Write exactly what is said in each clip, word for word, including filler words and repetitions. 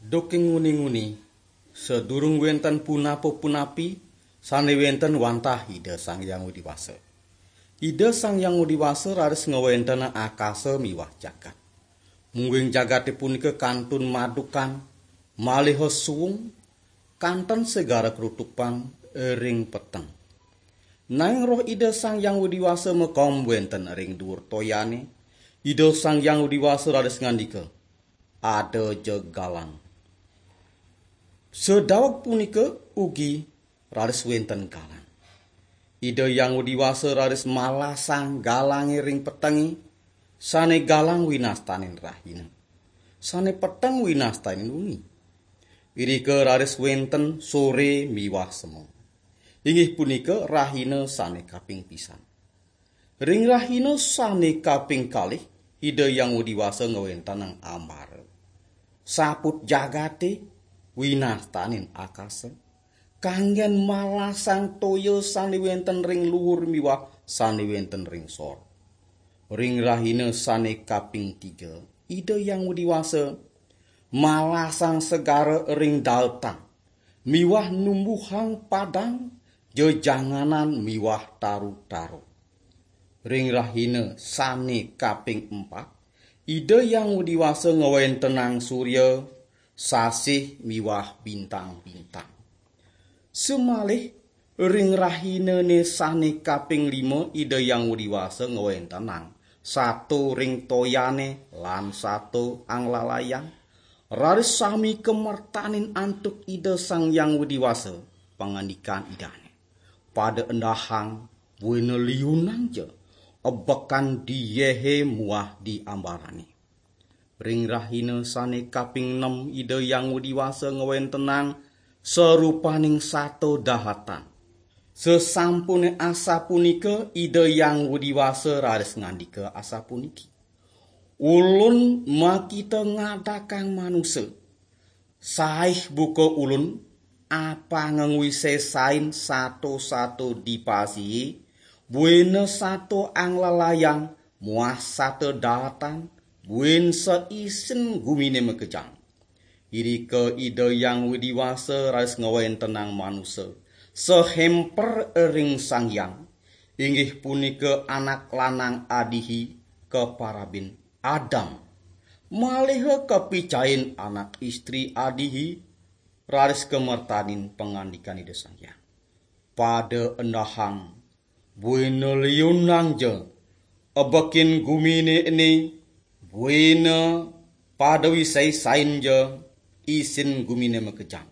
Duking nguni-nguni, sadurung wenten punapa-punapi, sane wenten wantah Ida Sang Hyang Widi Wasa. Ida Sang Hyang Widi Wasa raris ngawenten akasa miwah jagat. Mungguing jagate punika kantun madukan, malih suwung, kanten segara krutupan ring peteng. Nanging Roh Ida Sang Hyang Widi Wasa makom wenten ring duur toyane. Ida Sang Hyang Widi Wasa raris ngandika, "Ada ja galang." Sadaweg punika ugi raris wenten galang. Ida Hyang Widi Wasa raris malasang galange ring petenge, sane galang winastanin rahina, sane peteng winastanin wengi. Irika raris wenten sore miwah semeng. Inggih punika rahina sane kaping pisan. Ring rahina sane kaping kalih, Ida Hyang Widi Wasa ngwentenang ambara. Saput jagate winastanin akasa, kanggen malasang toya sane wenten ring luhur miwah sane wenten ring sor. Ring rahina sane kaping tiga, Ida Hyang Widi Wasa malasang segara ring daetan miwah numbuhang padang, jejanganan miwah taru-taru. Ring rahina sane kaping empat, Ida Hyang Widi Wasa ngwentenang surya, sasih miwah bintang-bintang. Sumalih ring rahinane sane kaping lima, Ida Hyang Widi Wasa ngwentenang sato ring toyane lan sato anglalayang. Raris sami kamertanin antuk Ida Sang Hyang Widi Wasa, pangandikan Idane, "Pada endahang, buina liunang ja, ebekan di yehe muah di ambarane." Ring rahina sane kaping nem, Ida Hyang Widi Wasa ngwentenang sarupaning sato dahatan. Sasampune asapunika, Ida Hyang Widi Wasa raris ngandika asapuniki, "Ulun makita ngadakang manusa. Saih buka ulun, apanga ngwisesain sato-sato dipasi, buina sato anglalayang muah sato daatan, buin saisin gumine makejang." Irika Ida Hyang Widi Wasa raris ngwentenang manusa, sahemper ring Sang Hyang, inggih punika anak lanang adihi kaparabin Adam. Maliha kapicain anak istri adihi, raris kamertanin pangandikan Ida Sang Hyang, "Pada endahang, buina liunang ja, ebekin gumine ene, buina pada wisaisain ja, isin gumine makejang."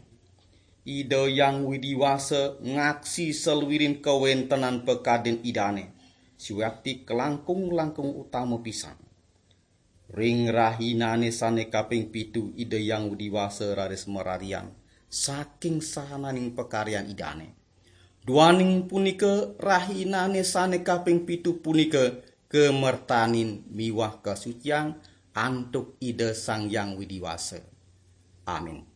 Ida Hyang Widi Wasa ngaksi saluirin kawentenan pakardin Idane, siwakti kalangkung-langkung utama pisan. Ring rahinane sane kaping pitu, Ida Hyang Widi Wasa raris mararian saking sahananing pakaryan Idane. Duaning punika, rahinane sane kaping pitu punika kamertanin miwah kasuciang antuk Ida Sang Hyang Widi Wasa. Amin.